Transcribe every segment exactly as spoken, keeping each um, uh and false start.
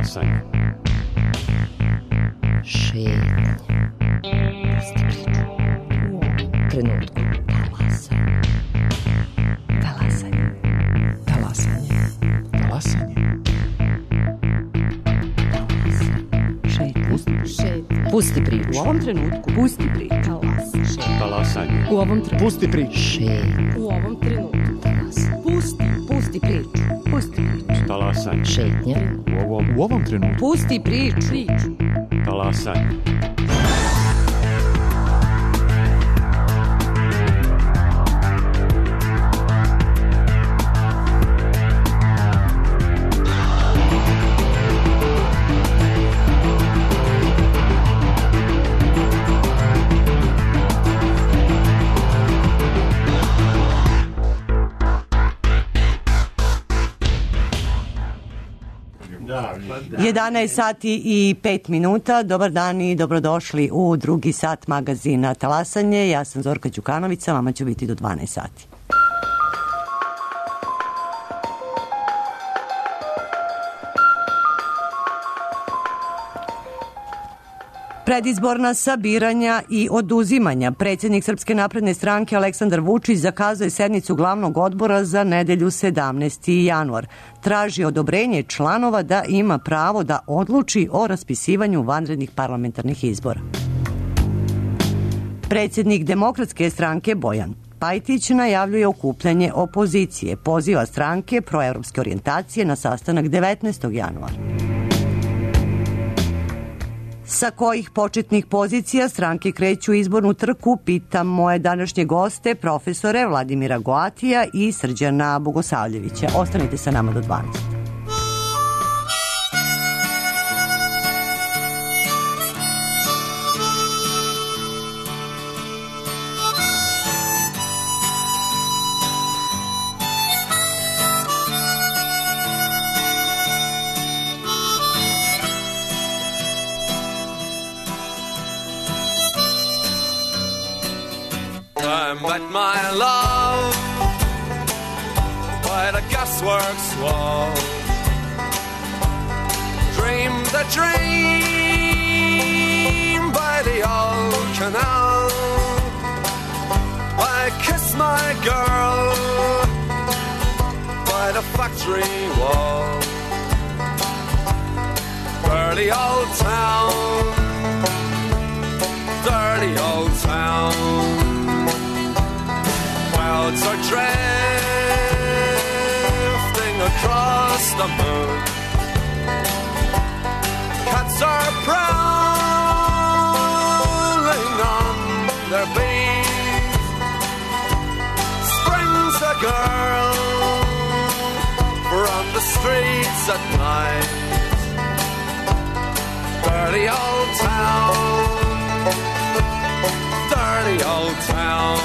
Talasanje. Šetnja. Pusti priču. U ovom trenutku. Talasanje. Talasanje. Talasanje. Talasanje. Šetnja. Šetnja. Pusti priču. U ovom trenutku. Pusti priču. Talasanje. Talasanje. U ovom trenutku. Pusti priču. Šetnja. U ovom trenutku. Talasanje. Pusti. Pusti priču. Pusti priču. Talasanje. Šetnja. U ovom, u ovom trenutku. Pusti priču. Priču. Talasanje. jedanaest sati i pet minuta. Dobar dan i dobrodošli u drugi sat magazina Talasanje. Ja sam Zorka Đukanovića, vama ću biti do dvanaest sati. Predizborna sabiranja i oduzimanja. Predsjednik Srpske napredne stranke Aleksandar Vučić zakazuje sednicu glavnog odbora za nedelju sedamnaesti januar. Traži odobrenje članova da ima pravo da odluči o raspisivanju vanrednih parlamentarnih izbora. Predsjednik Demokratske stranke Bojan Pajtić najavljuje okupljanje opozicije. Poziva stranke proevropske orijentacije na sastanak devetnaestog januara. Sa kojih početnih pozicija stranke kreću izbornu trku, pitam moje današnje goste, profesore Vladimira Goatija i Srđana Bogosavljevića. Ostanite sa nama do dvanaest. I met my love by the gasworks wall. Dreamed the dream by the old canal. I kissed my girl by the factory wall. Dirty old town, dirty old town. Clouds are drifting across the moon. Cats are prowling on their beat. Spring's a girl from the streets at night. Dirty old town, dirty old town.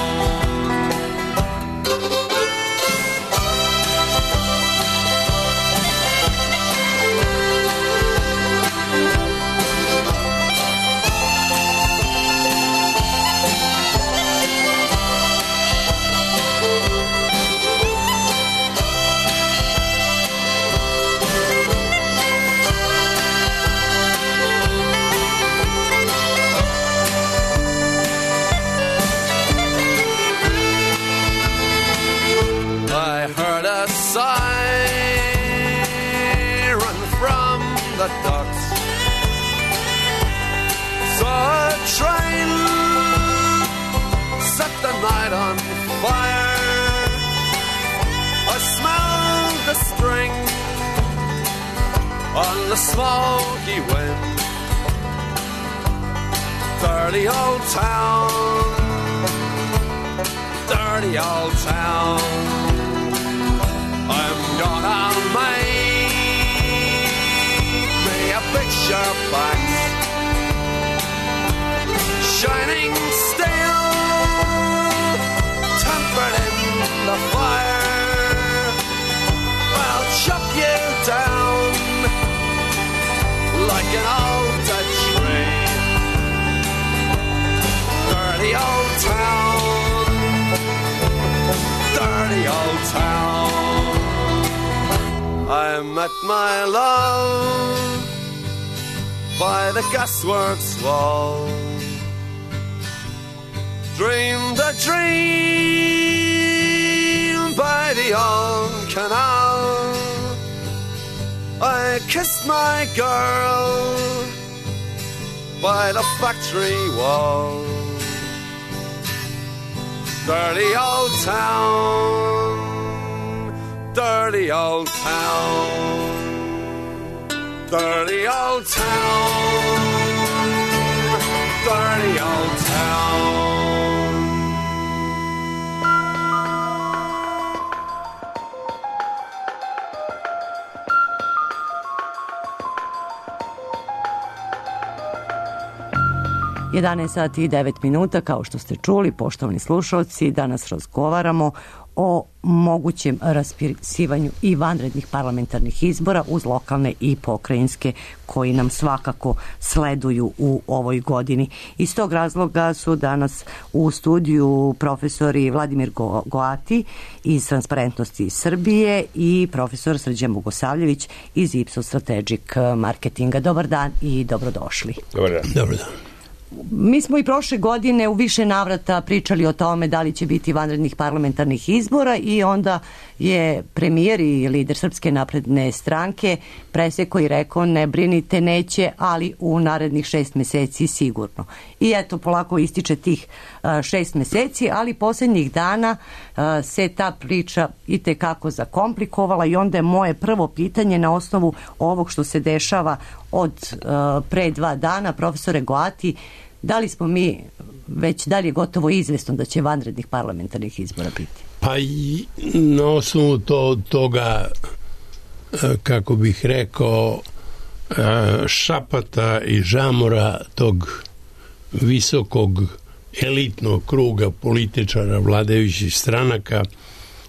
Siren from the docks. Saw a train set the night on fire. I smelled the string on the smoky wind. Dirty old town, dirty old town. I'm gonna make me a picture box, shining steel, tempered in the fire. I'll chop you down like an old dead tree. Dirty old town, dirty old town. I met my love by the gasworks wall. Dreamed a dream by the old canal. I kissed my girl by the factory wall. Dirty old town, dirty old town, dirty old town, dirty old town. jedanaest sati i devet minuta, kao što ste čuli, poštovani slušalci, danas razgovaramo o mogućem raspisivanju i vanrednih parlamentarnih izbora uz lokalne i pokrajinske koji nam svakako sleduju u ovoj godini. Iz tog razloga su danas u studiju profesori Vladimir Go- Goati iz Transparentnosti Srbije i profesor Srđan Bogosavljević iz Ipsos Strategic Marketinga. Dobar dan i dobrodošli. Dobar dan. Dobar dan. Mi smo i prošle godine u više navrata pričali o tome da li će biti vanrednih parlamentarnih izbora i onda je premijer i lider Srpske napredne stranke preseko i rekao ne brinite, neće, ali u narednih šest meseci sigurno. I eto, polako ističe tih a, šest meseci, ali posljednjih dana a, se ta priča i tekako zakomplikovala i onda je moje prvo pitanje na osnovu ovog što se dešava od a, pre dva dana, profesore Goati, da li smo mi već, da li je gotovo izvesno da će vanrednih parlamentarnih izbora biti? Pa i na osnovu to, toga, kako bih rekao, šapata i žamora tog visokog elitnog kruga političara vladajućih stranaka,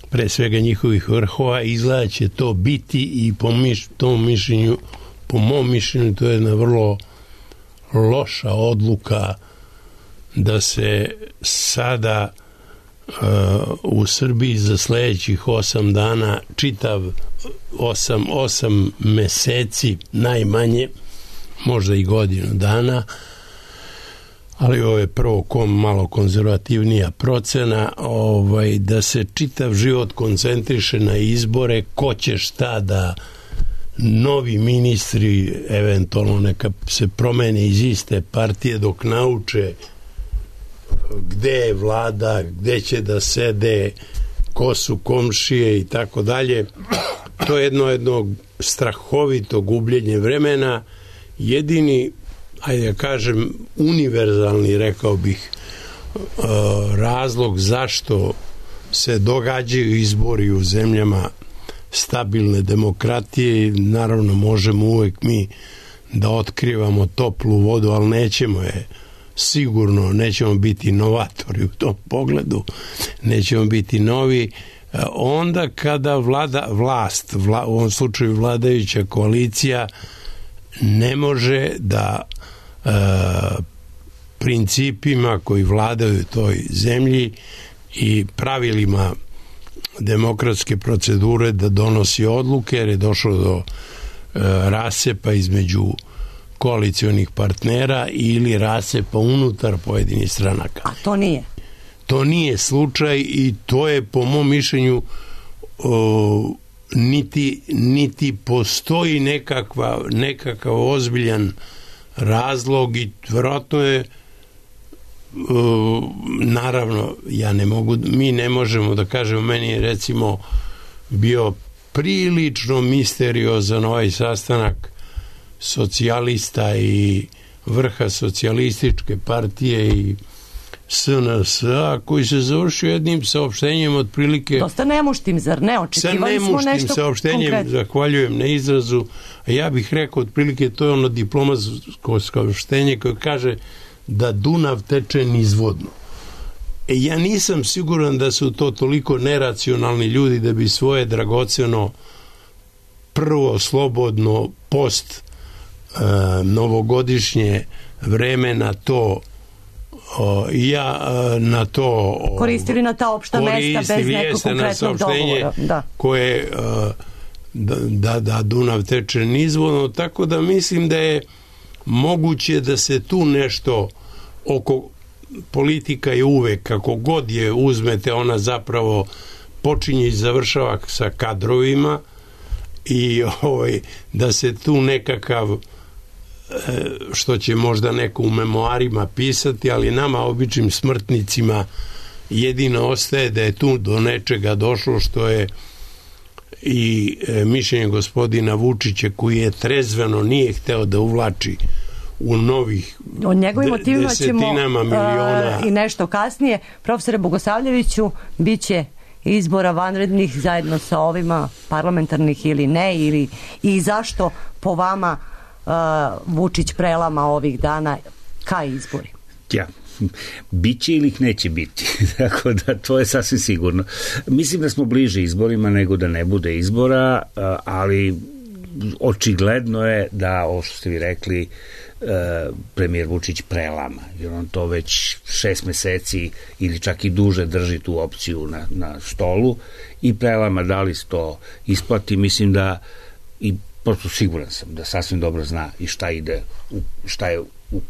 pre svega njihovih vrhova, izgleda će to biti i po miš, tom mišljenju, po mom mišljenju, to je jedna vrlo loša odluka da se sada uh, u Srbiji za sledećih osam dana, čitav osam, osam meseci najmanje, možda i godinu dana, ali ovo je prvo kom, malo konzervativnija procena, ovaj, da se čitav život koncentriše na izbore, ko će šta da novi ministri eventualno neka se promene iz iste partije dok nauče gde je vlada, gde će da sede, ko su komšije i tako dalje. To je jedno jedno strahovito gubljenje vremena. Jedini, ajde da kažem, univerzalni, rekao bih, razlog zašto se događaju izbori u zemljama stabilne demokratije, naravno možemo uvek mi da otkrivamo toplu vodu, ali nećemo je sigurno, nećemo biti novatori u tom pogledu, nećemo biti novi, onda kada vlada, vlast, vla, u ovom slučaju vladajuća koalicija, ne može da e, principima koji vladaju toj zemlji i pravilima demokratske procedure da donosi odluke, jer je došlo do e, rasepa između koalicionih partnera ili rasepa unutar pojedinih stranaka. A to nije? To nije slučaj i to je po mom mišljenju o, niti, niti postoji nekakva, nekakav ozbiljan razlog i vjerojatno je o, naravno ja ne mogu, mi ne možemo da kažemo, meni je recimo bio prilično misteriozan ovaj sastanak socijalista i vrha socijalističke partije i S N S-a koji se završio jednim saopštenjem otprilike dosta nemuštim, zar ne? Očekivali smo nešto konkretno. Sa nemuštim saopštenjem, konkret. Zahvaljujem na izrazu, a ja bih rekao otprilike to je ono diplomatsko saopštenje koje kaže da Dunav teče nizvodno. E ja nisam siguran da su to toliko neracionalni ljudi da bi svoje dragoceno prvo slobodno post e, novogodišnje vreme na to o, ja na to o, koristili na ta opšta mesta bez nekog konkretnog dogovora, da. koje o, da, da, da Dunav teče nizvodno, tako da mislim da je moguće da se tu nešto oko politika je uvek, kako god je uzmete, ona zapravo počinje i završava sa kadrovima i ovaj, da se tu nekakav, što će možda neko u memoarima pisati, ali nama običnim smrtnicima jedino ostaje da je tu do nečega došlo, što je i mišljenje gospodina Vučića, koji je trezveno nije hteo da uvlači u novih o njegovim motivima ćemo miliona. Uh, i nešto kasnije. Profesore Bogosavljeviću, bit će izbora vanrednih zajedno sa ovima parlamentarnih ili ne, ili i zašto po vama uh, Vučić prelama ovih dana ka izbori? Ja, biće ili ih neće biti. Tako da to je sasvim sigurno. Mislim da smo bliže izborima nego da ne bude izbora, ali očigledno je da, ovo što ste vi rekli, premijer Vučić prelama, jer on to već šest meseci ili čak i duže drži tu opciju na, na stolu i prelama. Da li se to isplati? Mislim da, i prosto siguran sam da sasvim dobro zna i šta ide u, šta je u,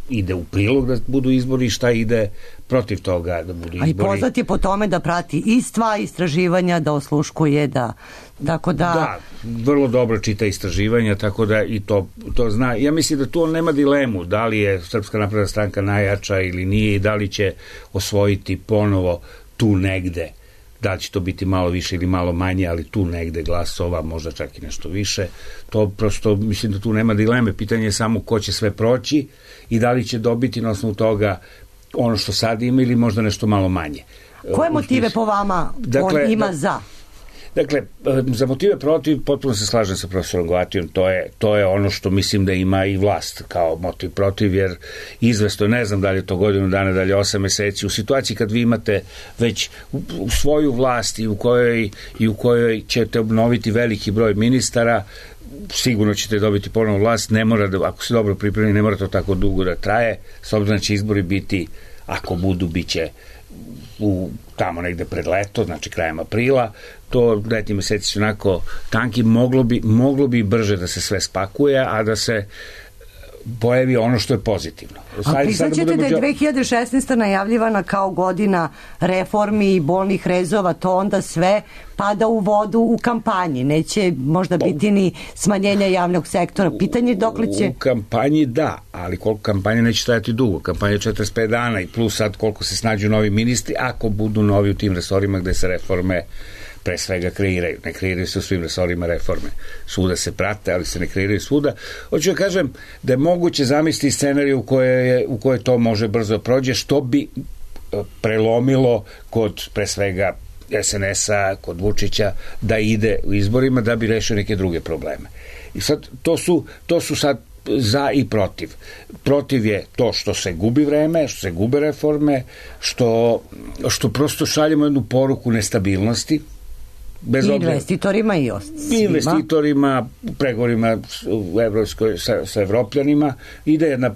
ide u prilog da budu izbori i šta ide protiv toga da budu izbori. A i poznat je po tome da prati i sva istraživanja, da osluškuje, da tako da... Da, vrlo dobro čita istraživanja, tako da i to, to zna. Ja mislim da tu on nema dilemu da li je Srpska napredna stranka najjača ili nije i da li će osvojiti ponovo tu negde. Da li će to biti malo više ili malo manje, ali tu negde glasova, možda čak i nešto više. To prosto, mislim da tu nema dileme. Pitanje je samo ko će sve proći i da li će dobiti na osnovu toga ono što sad ima ili možda nešto malo manje. Koje motive po vama dakle, on ima da, za? Dakle, za motive protiv potpuno se slažem sa profesorom Goatijom, to je, to je ono što mislim da ima i vlast kao motiv protiv, jer izvesto, ne znam da li je to godinu dana, da li je osam meseci, u situaciji kad vi imate već u, u svoju vlast i u kojoj, i u kojoj ćete obnoviti veliki broj ministara, sigurno ćete dobiti ponovno vlast, ne mora da, ako se dobro pripremi, ne mora to tako dugo da traje, s obzirom da će izbori biti, ako budu, bit će u tamo negde pred leto, znači krajem aprila, to letnji meseci su onako tanki, moglo bi, moglo bi brže da se sve spakuje, a da se pojavi ono što je pozitivno. A priznaćete da je dve hiljade šesnaesta najavljivana kao godina reformi i bolnih rezova, to onda sve pada u vodu u kampanji, neće možda biti ni smanjenja javnog sektora. Pitanje je dokle će... U kampanji da, ali koliko kampanja neće stajati dugo. Kampanja je četrdeset pet dana i plus sad koliko se snađu novi ministri, ako budu novi u tim resorima gde se reforme pre svega kreiraju. Ne kreiraju se u svim resorima reforme. Svuda se prate, ali se ne kreiraju svuda. Hoću da kažem da je moguće zamisliti scenariju u kojoj, je, u kojoj to može brzo prođe, što bi prelomilo kod pre svega es en es-a, kod Vučića, da ide u izborima da bi rešio neke druge probleme. I sad, to su, to su sad za i protiv. Protiv je to što se gubi vreme, što se gube reforme, što, što prosto šaljemo jednu poruku nestabilnosti, bez I investitorima i ostalima. Investitorima, pregovorima u Evropskoj, sa, sa Evropljanima, ide jedna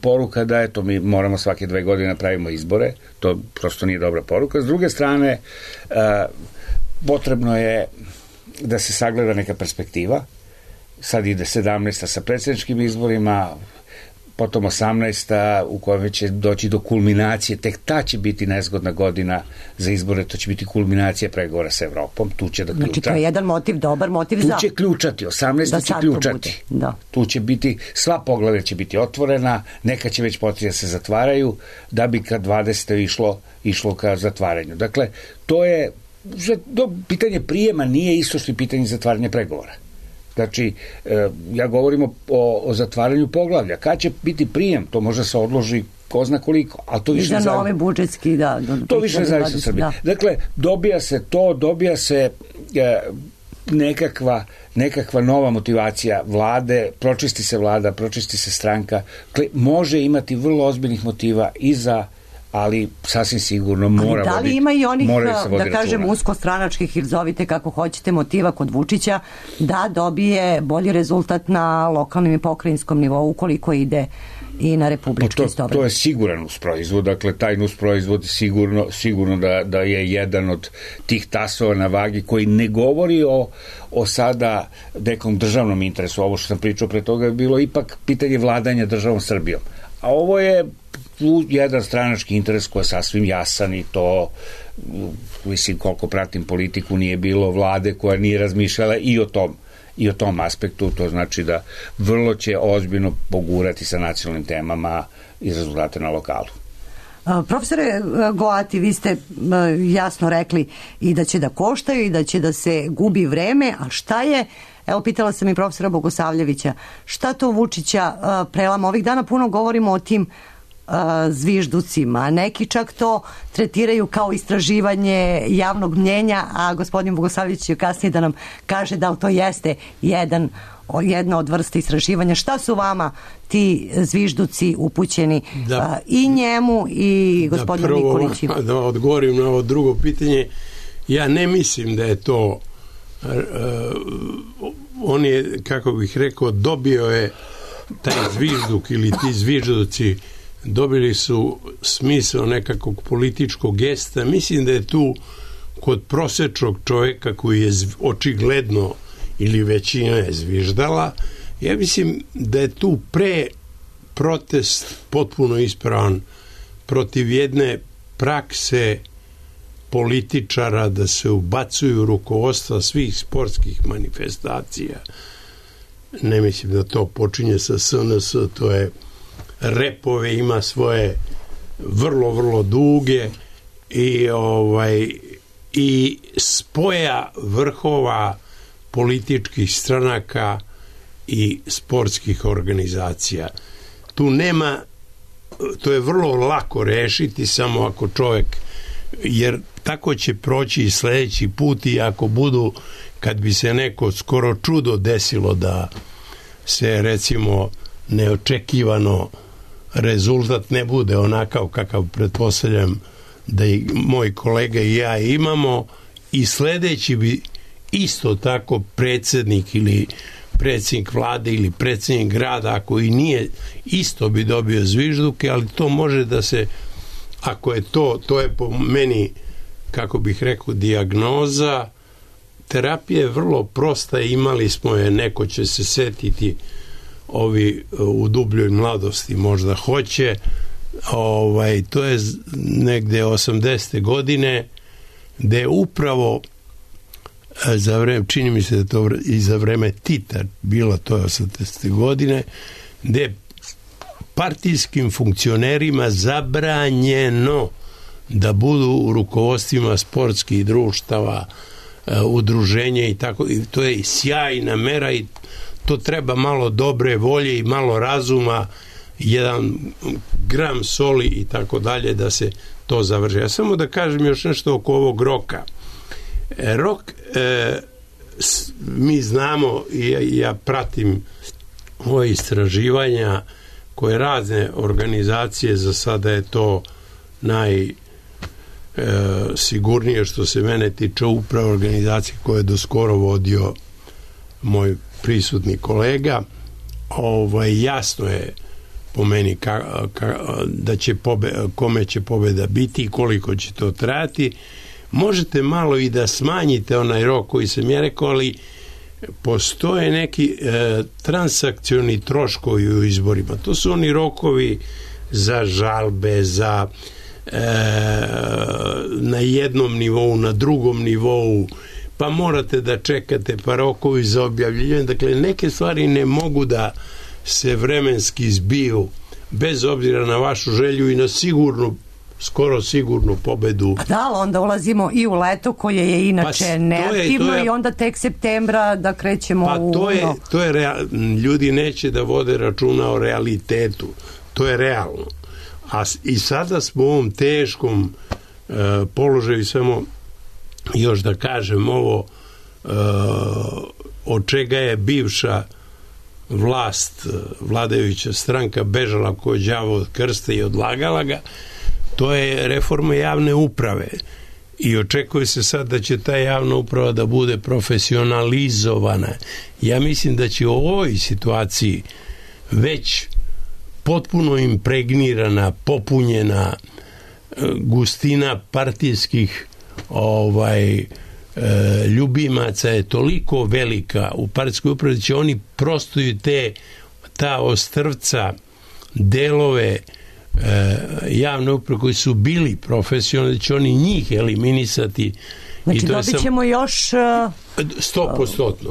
poruka da eto, mi moramo svake dve godine pravimo izbore, to prosto nije dobra poruka. S druge strane, a, potrebno je da se sagleda neka perspektiva. Sad ide sedamnaesta sa predsjedničkim izborima, potom osamnaesta u kojoj će doći do kulminacije, tek ta će biti nezgodna godina za izbore, to će biti kulminacija pregovora sa Evropom, tu će da ključa. Znači to je jedan motiv, dobar motiv tu za... Tu će ključati, osamnaesta će ključati. Da. Tu će biti, sva poglavlja će biti otvorena, neka će već početi da se zatvaraju, da bi kad dvadeseta išlo, išlo ka zatvaranju. Dakle, to je, to pitanje prijema nije isto što je pitanje zatvaranja pregovora. Znači, ja govorim o, o zatvaranju poglavlja. Kad će biti prijem, to može se odloži ko zna koliko, ali to više ne zavisi. I za nove budžetski, da. Do, to više ne zavisi od Srbije. Da. Dakle, dobija se to, dobija se e, nekakva, nekakva nova motivacija vlade, pročisti se vlada, pročisti se stranka. Dakle, može imati vrlo ozbiljnih motiva i za, ali sasvim sigurno mora voditi. Da li ima i onih, da, da kažem, uskostranačkih ili zovite kako hoćete motiva kod Vučića da dobije bolji rezultat na lokalnom i pokrajinskom nivou ukoliko ide i na republički to, istovremeno. to je siguran nusproizvod, dakle taj nusproizvod sigurno, sigurno da, da je jedan od tih tasova na vagi koji ne govori o, o sada nekom državnom interesu. Ovo što sam pričao pre toga je bilo ipak pitanje vladanja državom Srbijom. A ovo je jedan stranački interes koji je sasvim jasan i to, mislim, koliko pratim politiku, nije bilo vlade koja nije razmišljala i o tom i o tom aspektu. To znači da vrlo će ozbiljno pogurati sa nacionalnim temama i rezultate na lokalu. Profesore Goati, vi ste jasno rekli i da će da koštaju i da će da se gubi vreme, a šta je, evo pitala sam i profesora Bogosavljevića, šta to Vučića prelama? Ovih dana puno govorimo o tim zvižducima. Neki čak to tretiraju kao istraživanje javnog mnjenja, a gospodin Bogosavljević će kasnije da nam kaže da to jeste jedan, jedna od vrsta istraživanja. Šta su vama ti zvižduci upućeni da, i njemu i gospodinu Nikoliću? Da, da odgovorim na ovo drugo pitanje. Ja ne mislim da je to uh, on je, kako bih rekao, dobio je taj zvižduk ili ti zvižduci dobili su smisao nekakvog političkog gesta. Mislim da je tu kod prosečnog čovjeka koji je očigledno ili većina je zviždala, ja mislim da je tu pre protest potpuno ispravan protiv jedne prakse političara da se ubacuju rukovodstva svih sportskih manifestacija. Ne mislim da to počinje sa S N S, to je repove, ima svoje vrlo, vrlo duge i ovaj i spoja vrhova političkih stranaka i sportskih organizacija. Tu nema, to je vrlo lako rešiti samo ako čovjek, jer tako će proći i sledeći put i ako budu, kad bi se neko skoro čudo desilo da se recimo neočekivano rezultat ne bude onakav kakav pretpostavljam da i moj kolega i ja imamo, i sledeći bi isto tako predsjednik ili predsjednik vlade ili predsjednik grada, ako i nije, isto bi dobio zvižduke, ali to može da se, ako je to, to je po meni, kako bih rekao, dijagnoza. Terapija je vrlo prosta, imali smo je, neko će se setiti, ovi u dubljoj mladosti možda hoće, ovaj, to je negde osamdesete godine, gde je upravo za vreme, čini mi se da to i za vreme Tita bilo, to je osamdesete godine, gde je partijskim funkcionerima zabranjeno da budu u rukovodstvima sportskih društava, udruženja i tako, i to je sjajna mera i to treba malo dobre volje i malo razuma, jedan gram soli i tako dalje da se to završi. Ja samo da kažem još nešto oko ovog roka. Rok, e, s, mi znamo i ja, ja pratim ove istraživanja koje razne organizacije, za sada je to naj e, sigurnije što se mene tiče, upravo organizacije koje je doskoro vodio moj prisutni kolega. Ovaj, jasno je po meni ka, ka, da će pobe, kome će pobeda biti i koliko će to trajati. Možete malo i da smanjite onaj rok koji sam ja rekao, ali postoje neki e, transakcioni troškovi u izborima. To su oni rokovi za žalbe, za e, na jednom nivou, na drugom nivou, pa morate da čekate, pa rokovi za objavljivanje. Dakle, neke stvari ne mogu da se vremenski zbiju bez obzira na vašu želju i na sigurnu, skoro sigurnu pobedu. Pa da, onda ulazimo i u leto koje je inače pa, neaktivno je, je, i onda tek septembra da krećemo pa u... Pa to je, to je real, ljudi neće da vode računa o realitetu. To je realno. A i sada smo u ovom teškom uh, položaju, samo još da kažem ovo, uh, od čega je bivša vlast, vladajuća stranka bežala ko đavo od krsta i odlagala ga, to je reforma javne uprave i očekuje se sad da će ta javna uprava da bude profesionalizovana. Ja mislim da će u ovoj situaciji već potpuno impregnirana, popunjena gustina partijskih ovaj ljubimaca je toliko velika u partijskoj upravi da će oni prosto i te ta ostrvca delove e, javne uprave koji su bili profesionalni, da će oni njih eliminisati. Znači I to dobit sam, ćemo još sto postotno.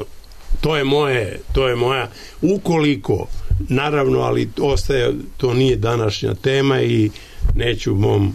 To je moje, to je moja, ukoliko naravno, ali ostaje, to nije današnja tema i neću mom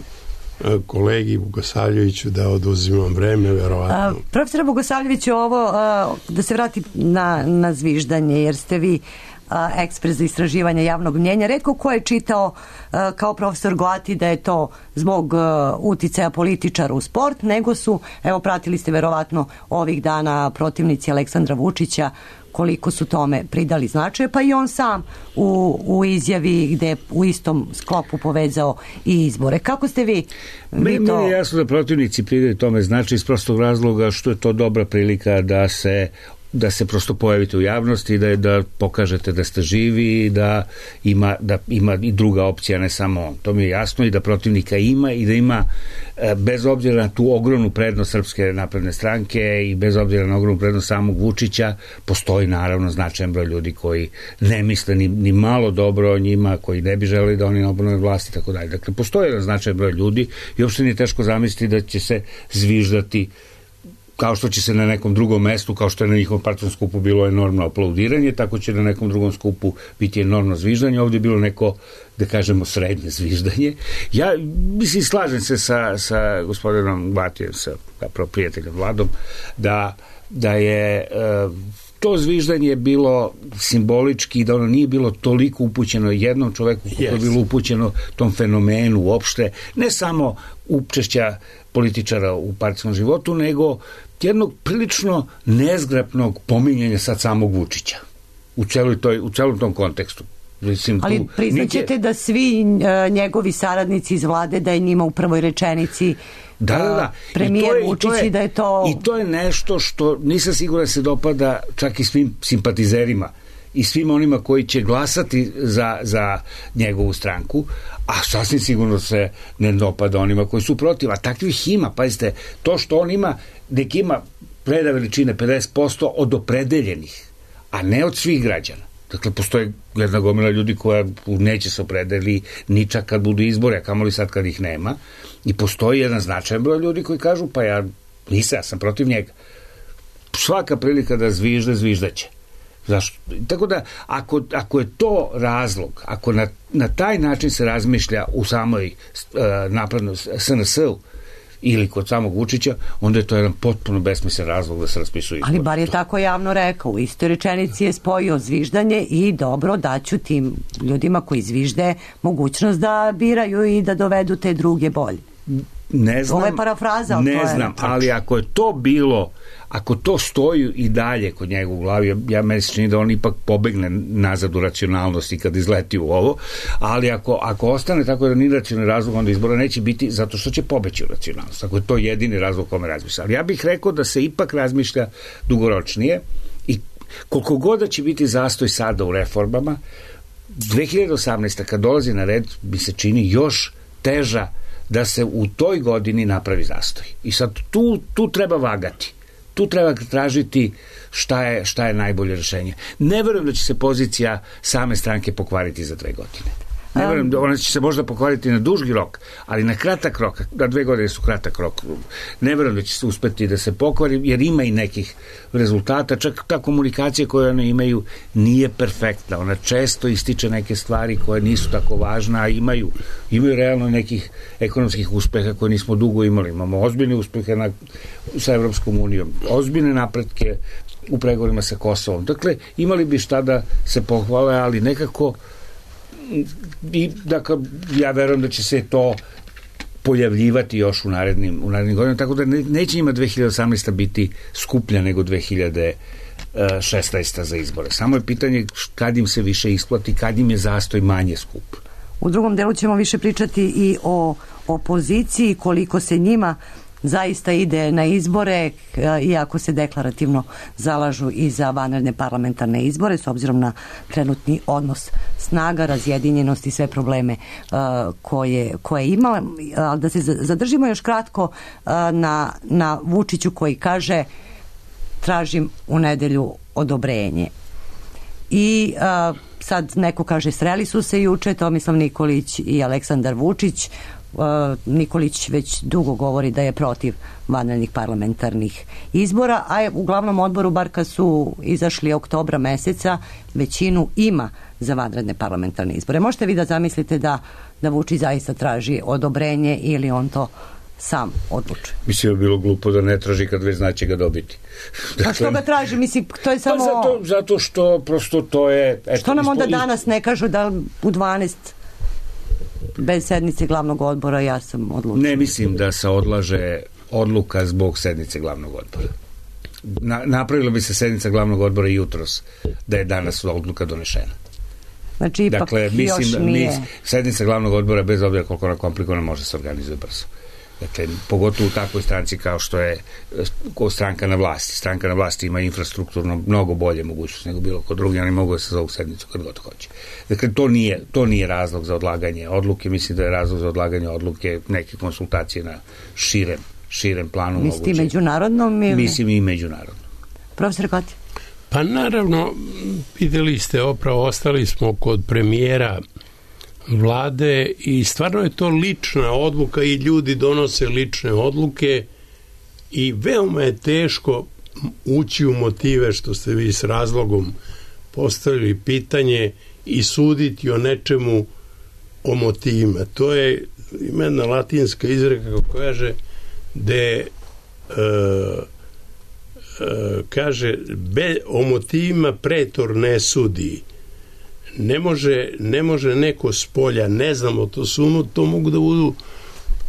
kolegi Bogosavljeviću da oduzimam vreme, verovatno. Uh, profesor Bogosavljević, ovo, uh, da se vrati na, na zviždanje, jer ste vi uh, ekspert za istraživanje javnog mnjenja. Retko ko je čitao uh, kao profesor Goati da je to zbog uh, uticaja političara u sport, nego su, evo, pratili ste verovatno ovih dana protivnici Aleksandra Vučića, koliko su tome pridali značaje, pa i on sam u, u izjavi gde je u istom sklopu povezao i izbore. Kako ste vi, vi Meni to... je jasno da protivnici pridaju tome značaj iz prostog razloga što je to dobra prilika da se da se prosto pojavite u javnosti, da da pokažete da ste živi, da ima, da ima i druga opcija, ne samo on. To mi je jasno, i da protivnika ima i da ima, bez obzira na tu ogromnu prednost Srpske napredne stranke i bez obzira na ogromnu prednost samog Vučića, postoji naravno značajan broj ljudi koji ne misle ni, ni malo dobro o njima, koji ne bi želeli da oni obnove vlasti i tako dalje. Dakle, postoji jedan značajan broj ljudi i uopšte nije teško zamisliti da će se zviždati kao što će se na nekom drugom mestu, kao što je na njihovom partijskom skupu bilo enormno aplaudiranje, tako će na nekom drugom skupu biti enormno zviždanje. Ovdje je bilo neko, da kažemo, srednje zviždanje. Ja, mislim, slažem se sa, sa gospodinom Gvatijem, sa zapravo prijateljem Vladom, da, da je e, to zviždanje bilo simbolički, da ono nije bilo toliko upućeno jednom čoveku, kako yes. je bilo upućeno tom fenomenu uopšte, ne samo učešća političara u partijskom životu, nego jednog prilično nezgrapnog pominjanja sad samog Vučića u celoj toj, u celom tom kontekstu. Mislim, ali tu, priznaćete nike... da svi uh, njegovi saradnici iz vlade, da je njima u prvoj rečenici da, da, da. premijer Vučić i da je to... I to je nešto što nisam siguran se dopada čak i svim simpatizerima i svim onima koji će glasati za, za njegovu stranku, a sasvim sigurno se ne dopada onima koji su protiv, a takvih ima. Pazite, to što on ima, nek ima preda veličine pedeset posto od opredeljenih, a ne od svih građana. Dakle, postoje jedna gomila ljudi koja neće se opredeli ni čak kad budu izbore, a kamoli sad kad ih nema, i postoji jedan značajan broj ljudi koji kažu, pa ja nisam, ja sam protiv njega. Svaka prilika da zvižde, zviždaće. Zašto? Tako da, ako, ako je to razlog, ako na, na taj način se razmišlja u samoj uh, naprednoj S N S-u ili kod samog Vučića, onda je to jedan potpuno besmislen razlog da se raspisuju izbori. Ali bar je tako javno rekao, u istoj rečenici je spojio zviždanje i dobro, daću tim ljudima koji zvižde mogućnost da biraju i da dovedu te druge bolje. Ne znam, ovo je parafraza, ne to je znam, ali ako je to bilo, ako to stoji i dalje kod njega u glavi, ja, ja meni se čini da on ipak pobegne nazad u racionalnosti kad izleti u ovo, ali ako, ako ostane tako da nije racionalni razlog, onda izbora neće biti zato što će pobeći u racionalnost, ako je to jedini razlog kome razmišlja. Ali ja bih rekao da se ipak razmišlja dugoročnije i koliko god da će biti zastoj sada u reformama, dve hiljade osamnaeste kad dolazi na red, mi se čini još teža da se u toj godini napravi zastoj. I sad tu, tu treba vagati. Tu treba tražiti šta je, šta je najbolje rešenje. Ne verujem da će se pozicija same stranke pokvariti za dve godine. Ne verujem da ona će se možda pokvariti na dužgi rok, ali na kratak rok, na dve godine su kratak rok. Ne verujem da će se uspeti da se pokvari, jer ima i nekih rezultata. Čak ta komunikacija koju one imaju nije perfektna. Ona često ističe neke stvari koje nisu tako važne, a imaju, imaju realno nekih ekonomskih uspeha koje nismo dugo imali. Imamo ozbiljne uspehe na, sa Evropskom unijom, ozbiljne napretke u pregovorima sa Kosovom. Dakle, imali bi šta da se pohvale, ali nekako i dakle, ja verujem da će se to pojavljivati još u narednim, u narednim godinama, tako da ne, neće njima dve hiljade osamnaesta biti skuplja nego dve hiljade šesnaesta za izbore. Samo je pitanje kad im se više isplati, kad im je zastoj manje skup. U drugom delu ćemo više pričati i o opoziciji, koliko se njima zaista ide na izbore, iako se deklarativno zalažu i za vanredne parlamentarne izbore, s obzirom na trenutni odnos snaga, razjedinjenost i sve probleme koje, koje ima. Ali da se zadržimo još kratko na, na Vučiću koji kaže tražim u nedelju odobrenje. I a, sad neko kaže sreli su se juče Tomislav Nikolić i Aleksandar Vučić. A, Nikolić već dugo govori da je protiv vanrednih parlamentarnih izbora, a je u glavnom odboru, bar kad su izašli oktobra meseca, većinu ima za vanredne parlamentarne izbore. Možete vi da zamislite da, da Vučić zaista traži odobrenje ili on to sam odlučuje? Mislim da je bilo glupo da ne traži kad već znači ga dobiti. Dakle, a što ga traži? Mislim, to je samo... Pa zato, zato što prosto to je... Eto, što nam onda ispo... danas ne kažu da u dvanaest bez sednice glavnog odbora ja sam odlučila? Ne mislim da se odlaže odluka zbog sednice glavnog odbora. Na, napravila bi se sednica glavnog odbora jutros da je danas odluka donešena. Znači, ipak dakle, mislim, još nije... Mis, sednica glavnog odbora, bez obzira koliko ona komplikovana, može se organizuje brzo. Dakle, pogotovo u takvoj stranci kao što je ko stranka na vlasti. Stranka na vlasti ima infrastrukturno mnogo bolje mogućnosti nego bilo kod drugi, oni mogu da se zovu sednicu kad god hoće. Dakle, to nije, to nije razlog za odlaganje odluke, mislim da je razlog za odlaganje odluke neke konsultacije na širem, širem planu. Mislite i međunarodnom? Ili... Mislim i međunarodnom. Profesor Koti? Pa naravno, videli ste, opravo ostali smo kod premijera vlade i stvarno je to lična odluka i ljudi donose lične odluke i veoma je teško ući u motive, što ste vi s razlogom postavili pitanje, i suditi o nečemu, o motivima. To je ima jedna latinska izreka koja kaže de uh, uh, kaže be, o motivima pretor ne sudi. Ne može, ne može neko s polja, ne znamo, to su, to mogu da budu,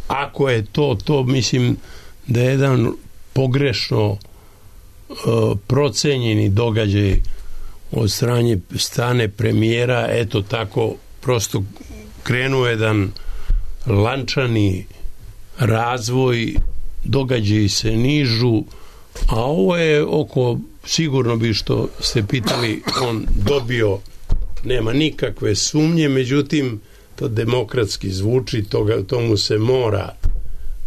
ako je to, to mislim da je jedan pogrešno uh, procenjeni događaj od strane, strane premijera, eto tako, prosto krenuo jedan lančani razvoj, događaji se nižu, a ovo je oko, sigurno bi što ste pitali, on dobio, nema nikakve sumnje, međutim to demokratski zvuči, toga, tomu se mora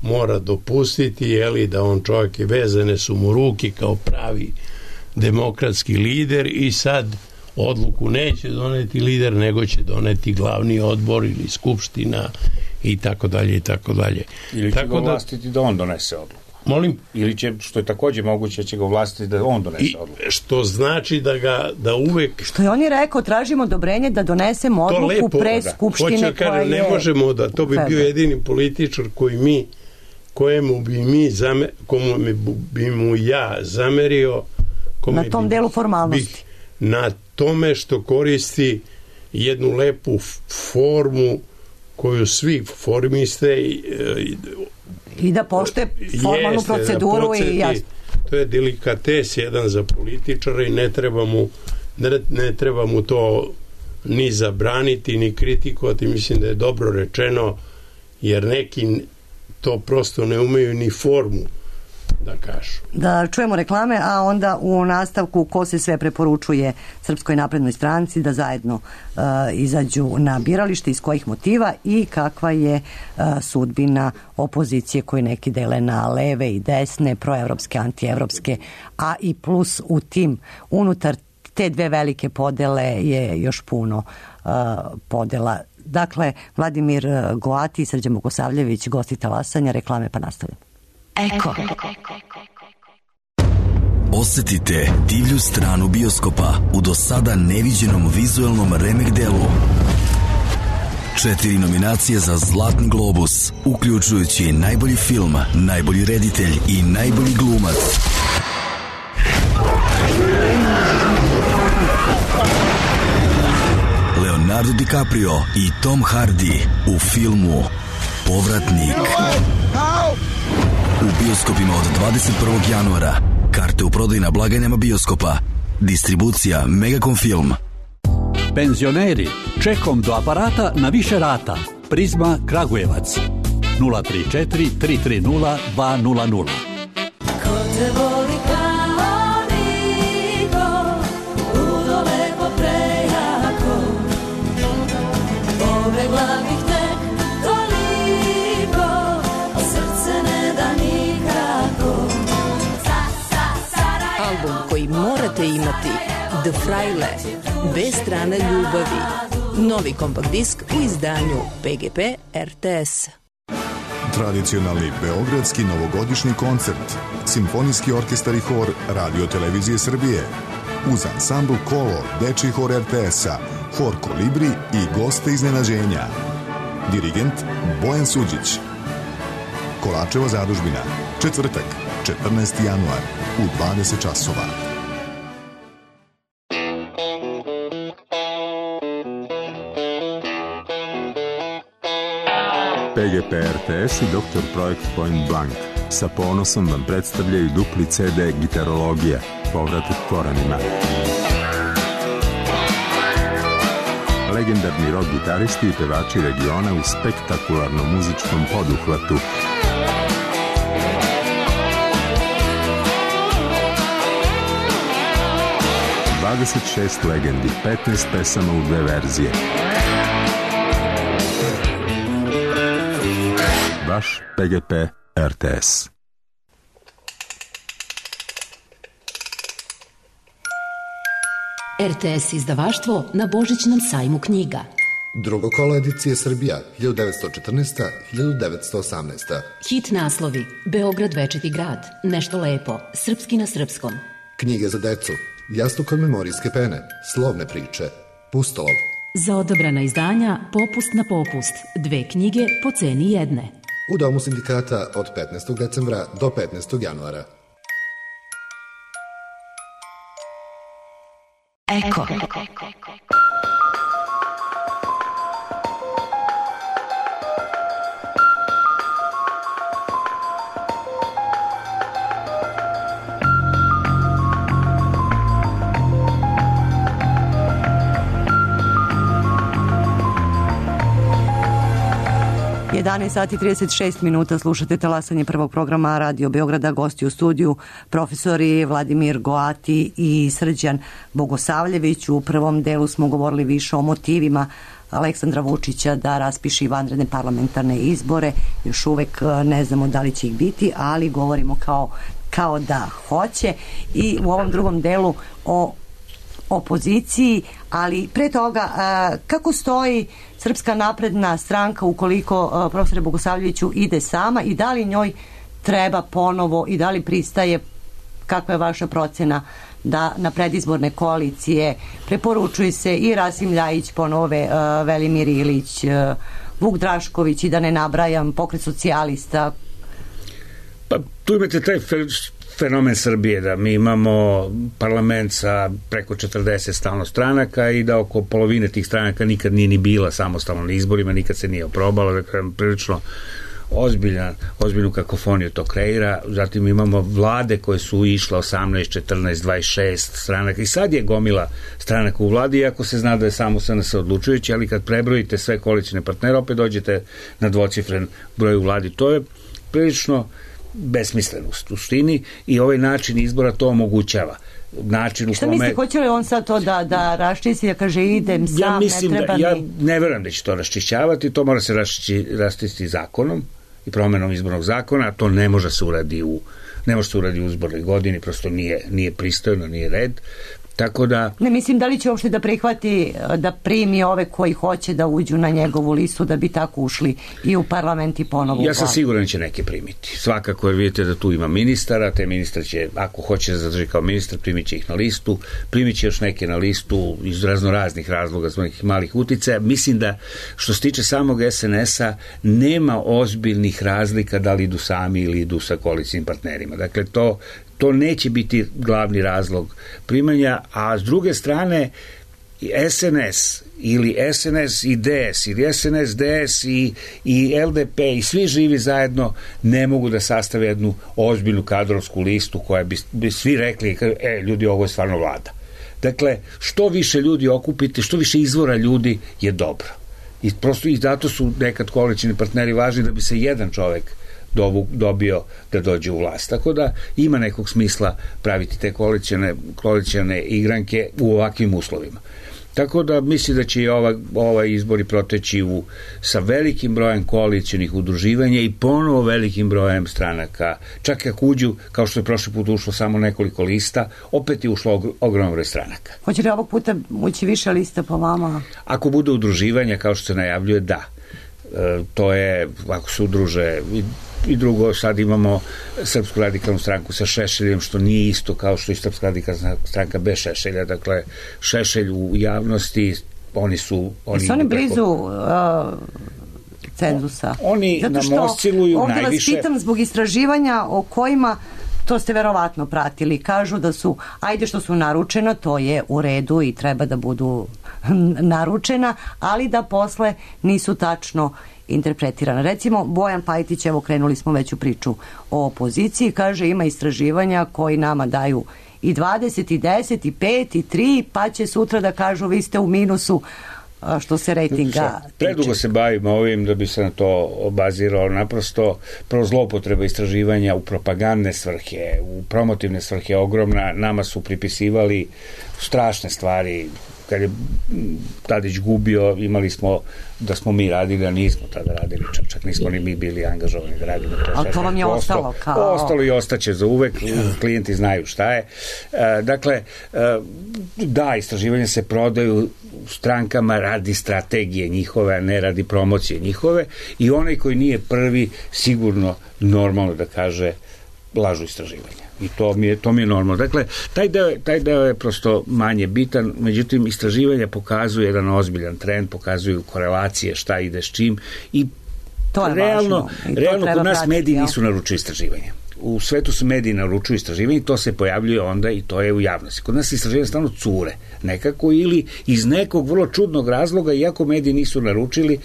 mora dopustiti, jeli, da on čovjek je, vezane su mu ruke kao pravi demokratski lider i sad odluku neće doneti lider, nego će doneti glavni odbor ili skupština i tako dalje i tako dalje. Ili će tako ga ovlastiti da, da on donese odluku. Molim? Ili će, što je takođe moguće, će ga ovlastiti da on donese I, odluku. što znači da ga, da uvek... Što je on je rekao, tražimo odobrenje da donesemo odluku lepo, pre da. Skupštine koja je... Ne možemo da, to bi Febe. bio jedini političar koji mi, kojemu bi mi, zame, komu bi mu ja zamerio... Na tom bi, delu formalnosti. Bi, na tome što koristi jednu lepu formu koju svi formiste i, i da poštuje formalnu jeste, proceduru da i jasno. To je delikates jedan za političara i ne treba mu ne, ne treba mu to ni zabraniti ni kritikovati, mislim da je dobro rečeno, jer neki to prosto ne umeju ni formu da kažu. Da čujemo reklame, a onda u nastavku ko se sve preporučuje Srpskoj naprednoj stranci da zajedno uh, izađu na biralište, iz kojih motiva i kakva je uh, sudbina opozicije koju neki dele na leve i desne, proevropske, antievropske, a i plus u tim unutar te dve velike podele je još puno uh, podela. Dakle, Vladimir Goati i Srđan Bogosavljević, gosti Talasanja, reklame pa nastavljamo. Eko. Osetite divlju stranu bioskopa u do sada neviđenom vizuelnom remek delu. Četiri nominacije za Zlatni globus, uključujući najbolji film, najbolji reditelj i najbolji glumac. Leonardo DiCaprio i Tom Hardy u filmu Povratnik. U bioskopima od dvadeset prvog januara. Karte u prodaju na blagajnama bioskopa. Distribucija Megacom Film. Penzioneri, čekom do aparata na više rata. Prizma Kragujevac. nula tri četiri tri tri nula dva nula nula. Ko te voli kao niko, ludo lepo prejako, pobegla bih tek toliko, a srce ne da nikako. Album koji morate imati, The Fraile, bez strane ljubavi. Novi kompakt disk u izdanju P G P R T S. Tradicionalni beogradski novogodišnji koncert, Simfonijski orkestar i hor Radio Televizije Srbije, uz ansambl Kolor, dečiji hor R T S-a, hor Kolibri i goste iznenađenja. Dirigent Bojan Suđić. Kolačeva zadužbina, četvrtak, četrnaesti januar, u dvadeset časova. P G P R T S i doktor Projekt Point Blank sa ponosom vam predstavljaju dupli C D Gitarologija, povratak korenima. Legendarni rock gitaristi i pevači regiona u spektakularnom muzičkom poduhvatu. dvadeset šest legendi, petnaest pesama u dve verzije. Vaš P G P R T S. R T S izdavaštvo na Božićnom sajmu knjiga. Drugo kolo edicije Srbija, hiljadu devetsto četrnaesta do hiljadu devetsto osamnaesta. Hit naslovi: Beograd večiti grad, Nešto lepo, Srpski na srpskom. Knjige za decu, Jastuk od memorijske pene, Slovne priče, Pustolov. Za odabrana izdanja Popust na popust, dve knjige po ceni jedne. U Domu sindikata od petnaestog decembra do petnaestog januara. Eko. jedanaest sati i trideset šest minuta, slušate talasanje prvog programa Radio Beograda. Gosti u studiju profesori Vladimir Goati i Srđan Bogosavljević. U prvom delu smo govorili više o motivima Aleksandra Vučića da raspiše vanredne parlamentarne izbore. Još uvek ne znamo da li će ih biti, ali govorimo kao, kao da hoće. I u ovom drugom delu o opoziciji, ali pre toga kako stoji Srpska napredna stranka ukoliko profesore Bogosavljeviću ide sama i da li njoj treba ponovo i da li pristaje, kakva je vaša procena da na predizborne koalicije preporučuje se i Rasim Ljajić, ponove Velimir Ilić, Vuk Drašković i da ne nabrajam Pokret socijalista? Pa tu imate taj fenomen Srbije, da mi imamo parlament sa preko četrdeset stalno stranaka i da oko polovine tih stranaka nikad nije ni bila samostalno na izborima, nikad se nije oprobala, dakle prilično ozbiljan, ozbiljnu kakofoniju to kreira. Zatim imamo vlade koje su išle osamnaest, četrnaest, dvadeset šest stranaka i sad je gomila stranaka u vladi, iako se zna da je samo S N S odlučujući, ali kad prebrojite sve koalicione partnere opet dođete na dvocifren broj u vladi. To je prilično besmisleno u suštini i ovaj način izbora to omogućava. Način u Šta kome... mislite, hoće li on sad to da, da raščisti, da kaže idem sam, ja mislim ne treba da, ja mi... ne verujem da će to raščišćavati, to mora se raščistiti zakonom i promenom izbornog zakona, a to ne može se uradi u ne može se uradi u izbornoj godini, prosto nije, nije pristojno, nije red. Tako da... Ne mislim da li će uopšte da prihvati, da primi ove koji hoće da uđu na njegovu listu da bi tako ušli i u parlament i ponovo u Ja sam vladu. siguran će neke primiti. Svakako, jer vidite da tu ima ministara, te ministar će, ako hoće da zadrži kao ministar, primit će ih na listu, primit će još neke na listu iz razno raznih razloga, zbog nekih malih uticaja. Mislim da što se tiče samog S N S-a nema ozbiljnih razlika da li idu sami ili idu sa koalicijnim partnerima. Dakle, to To neće biti glavni razlog primanja, a s druge strane S N S ili S N S i D S ili S N S, D S i, i L D P i svi živi zajedno ne mogu da sastave jednu ozbiljnu kadrovsku listu koja bi, bi svi rekli, e, ljudi, ovo je stvarno vlada. Dakle, što više ljudi okupite, što više izvora ljudi je dobro. I prosto i zato su nekad koalicioni partneri važni da bi se jedan čovek dobio da dođe u vlast. Tako da ima nekog smisla praviti te koalicione, koalicione igranke u ovakvim uslovima. Tako da misli da će i ova, ovaj izbori proteći u, sa velikim brojem koalicionih udruživanja i ponovo velikim brojem stranaka. Čak ako uđu, kao što je prošli put ušlo samo nekoliko lista, opet je ušlo ogroman broj stranaka. Hoće li ovog puta ući više lista po vama? Ako bude udruživanja, kao što se najavljuje, da. E, to je, ako se udruže i, i drugo, sad imamo Srpsku radikalnu stranku sa Šešeljem, što nije isto kao što i Srpska radikalna stranka bez Šešelja. Dakle, Šešelj u javnosti, oni su... Oni su oni blizu uh, cenzusa? Oni zato nam osciluju ovdje najviše... Ovdje vas pitam zbog istraživanja o kojima, to ste verovatno pratili, kažu da su, ajde što su naručena, to je u redu i treba da budu naručena, ali da posle nisu tačno interpretirana. Recimo, Bojan Pajtić, evo krenuli smo već u priču o opoziciji, kaže ima istraživanja koji nama daju i dvadeset, i deset, i pet, i tri, pa će sutra da kažu vi ste u minusu što se rejtinga tiče. Predugo se bavimo ovim da bi se na to obazirao, naprosto prvo zloupotreba istraživanja u propagandne svrhe, u promotivne svrhe ogromna, nama su pripisivali strašne stvari. Kad je Tadić gubio, imali smo da smo mi radili, a nismo tada radili, čak, čak nismo ni mi bili angažovani da radimo to. Ali to vam je ostalo kao... Ostalo i ostaće za uvek, klijenti znaju šta je. E, dakle, e, da, istraživanja se prodaju strankama radi strategije njihove, a ne radi promocije njihove, i onaj koji nije prvi sigurno normalno da kaže lažu istraživanja. I to mi je, to mi je normalno. Dakle, taj deo, taj deo je prosto manje bitan, međutim, istraživanja pokazuju jedan ozbiljan trend, pokazuju korelacije, šta ide s čim, i to je realno, I to realno kod nas pratiti, mediji ja? nisu naručili istraživanja. U svetu su mediji naručuju istraživanje i to se pojavljuje onda i to je u javnosti. Kod nas istraživanja stvarno cure nekako ili iz nekog vrlo čudnog razloga, iako mediji nisu naručili.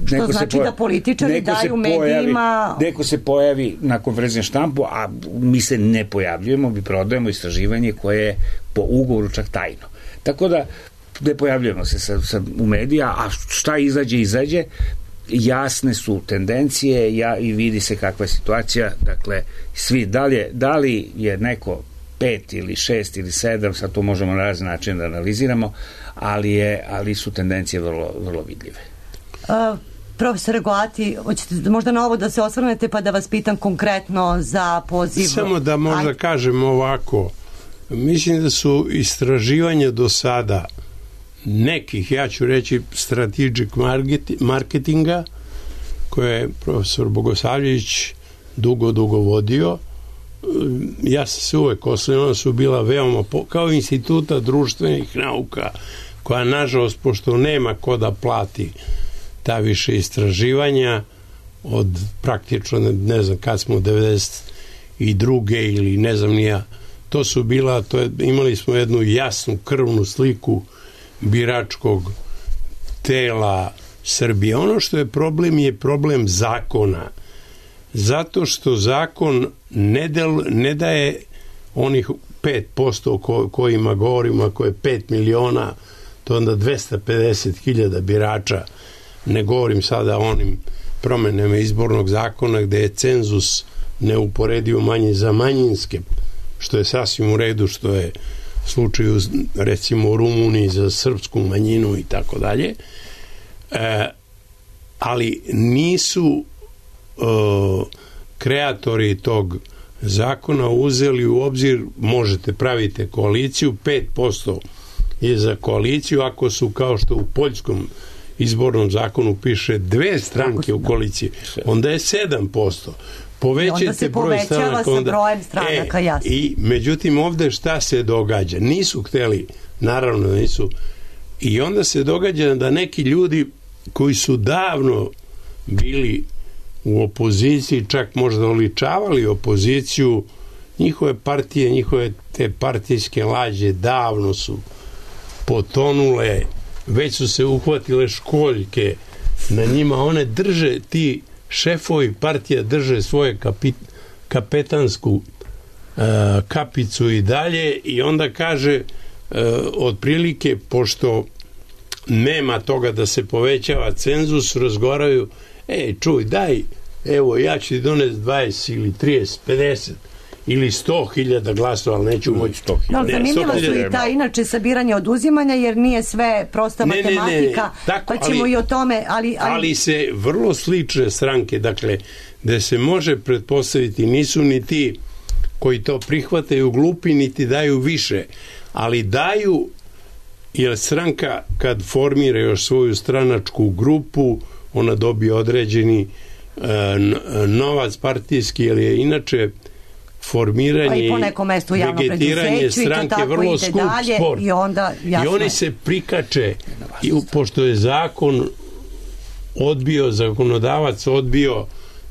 Što neko znači se pojavi, da političari daju medijima... Neko se pojavi na konferenciji štampu, a mi se ne pojavljujemo, mi prodajemo istraživanje koje je po ugovoru čak tajno. Tako da ne pojavljujemo se sa, sa, u medija, a šta izađe, izađe. Jasne su tendencije, ja, i vidi se kakva je situacija. Dakle, svi, da li je, da li je neko pet ili šest ili sedam, sad to možemo na razne načine da analiziramo, ali, je, ali su tendencije vrlo, vrlo vidljive. Uh, profesore Goati, hoćete možda na ovo da se osvrnete pa da vas pitam konkretno za poziv? Samo da možda Aj... kažem ovako, mislim da su istraživanja do sada nekih, ja ću reći, strategic marketinga, koje je profesor Bogosavljević dugo, dugo vodio. Ja sam se uvek osnovno, ona su bila veoma, kao instituta društvenih nauka, koja nažalost, pošto nema ko da plati ta više istraživanja, od praktično, ne znam kad smo, devedeset druge ili ne znam nija, to su bila, to je, imali smo jednu jasnu krvnu sliku biračkog tela Srbije. Ono što je problem je problem zakona. Zato što zakon ne, del, ne daje onih pet posto o ko, kojima govorimo, ako je pet miliona, to onda dvesta pedeset hiljada birača. Ne govorim sada o onim promenama izbornog zakona gde je cenzus neuporedivo manji za manjinske, što je sasvim u redu, što je slučaju recimo u Rumuniji za srpsku manjinu i tako dalje, ali nisu e, kreatori tog zakona uzeli u obzir, možete pravite koaliciju, pet posto je za koaliciju, ako su kao što u poljskom izbornom zakonu piše dve stranke u koaliciji, onda je sedam posto. Povećajte onda se broj povećava stranaka, sa onda, brojem stranaka, e, jasno. I međutim ovde šta se događa? Nisu hteli, naravno nisu, i onda se događa da neki ljudi koji su davno bili u opoziciji, čak možda oličavali opoziciju, njihove partije, njihove te partijske lađe davno su potonule, već su se uhvatile školjke na njima, one drže, ti šefovi partija drže svoje kapit, kapetansku uh, kapicu i dalje, i onda kaže uh, otprilike, pošto nema toga da se povećava cenzus, razgovaraju, ej, čuj, daj, evo, ja ću ti doneti dvadeset ili trideset, pedeset ili sto hiljada glasova, ali neću moći sto hiljada. No, zanimljivo su i ta inače sabiranje oduzimanja, jer nije sve prosta ne, matematika, ne, ne, ne. Tako, pa ćemo ali, i o tome, ali, ali... ali se vrlo slične stranke, dakle, da se može pretpostaviti, nisu ni ti koji to prihvataju glupi, niti daju više, ali daju, jer stranka kad formira još svoju stranačku grupu, ona dobije određeni e, novac partijski, jer je inače formiranje i vegetiranje stranke vrlo skup sport. I, onda, I oni se prikače, i, pošto je zakon odbio, zakonodavac odbio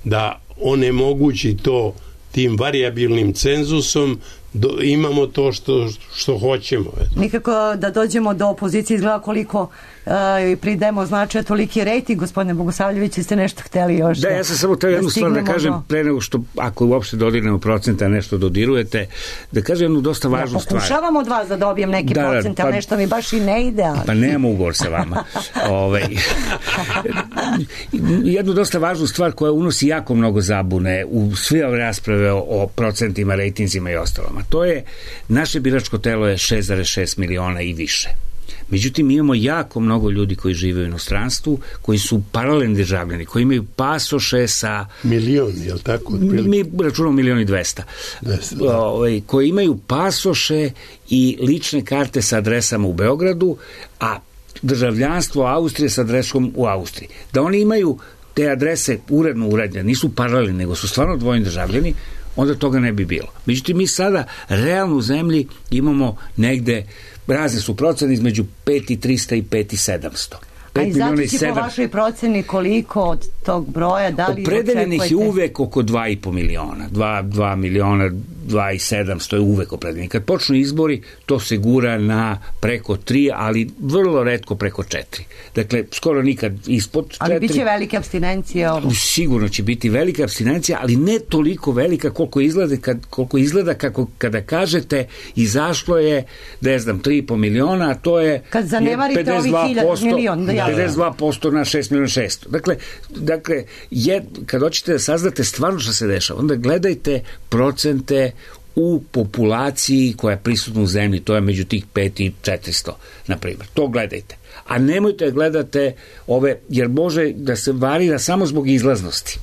da onemogući to tim variabilnim cenzusom, do, imamo to što, što hoćemo. Nikako da dođemo do opozicije, izgleda koliko uh, pridemo značaja toliki rejting. Gospodine Bogosavljević, ste nešto hteli još da, da, ja sam samo teo jednu stvar da kažem do... pre nego što, ako uopšte dodirnemo procenta nešto dodirujete, da kažem jednu dosta važnu ja, stvar. Pokušavam od vas da dobijem neki da, procent, pa, ali nešto mi baš i ne ide. Ali... Pa nemamo ugovor sa vama. Ove, jednu dosta važnu stvar koja unosi jako mnogo zabune u sve ove rasprave o, o procentima, rejtinzima i ostalom. To je, naše biračko telo je šest zarez šest miliona i više. Međutim, imamo jako mnogo ljudi koji žive u inostranstvu, koji su paralelni državljani, koji imaju pasoše sa... Milion, je li tako? Mi računamo milion i dvesta. Ove, koji imaju pasoše i lične karte sa adresama u Beogradu, a državljanstvo Austrije sa adresom u Austriji. Da oni imaju te adrese uredno urađene, nisu paralelni, nego su stvarno dvojni državljani, onda toga ne bi bilo. Međutim, mi sada realno u zemlji imamo negde, razne su procene između pet hiljada trista i pet hiljada sedamsto. A i zato si po vašoj proceni koliko od tog broja, da li opredeljenih očekujete? je uvek oko dva i po miliona. dva miliona, dva i sedamsto je uvek opredeljenih. Kad počnu izbori, to se gura na preko tri, ali vrlo retko preko četiri. Dakle, skoro nikad ispod četiri. Ali bit će velike abstinencije ovo? Sigurno će biti velika abstinencija, ali ne toliko velika koliko izgleda, kad, koliko izgleda kako, kada kažete izašlo je, ne znam, tri i po miliona, a to je kad zanemarite ovih milion, da pedeset dva posto na šest miliona šesto. Dakle, dakle je, kad hoćete da saznate stvarno što se dešava, onda gledajte procente u populaciji koja je prisutna u zemlji, to je među tih pet i četiristo, na primjer. To gledajte. A nemojte da gledate ove, jer može da se varira samo zbog izlaznosti.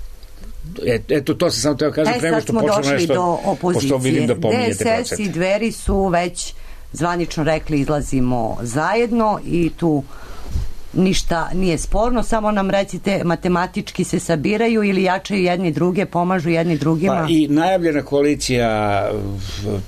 Eto, to se samo teo kažem e, prema što počnemo nešto, do opozicije. Vidim da pominjete D S S i Dveri su već zvanično rekli izlazimo zajedno i tu ništa nije sporno, samo nam recite, matematički se sabiraju ili jačaju jedni druge, pomažu jedni drugima? Pa i najavljena koalicija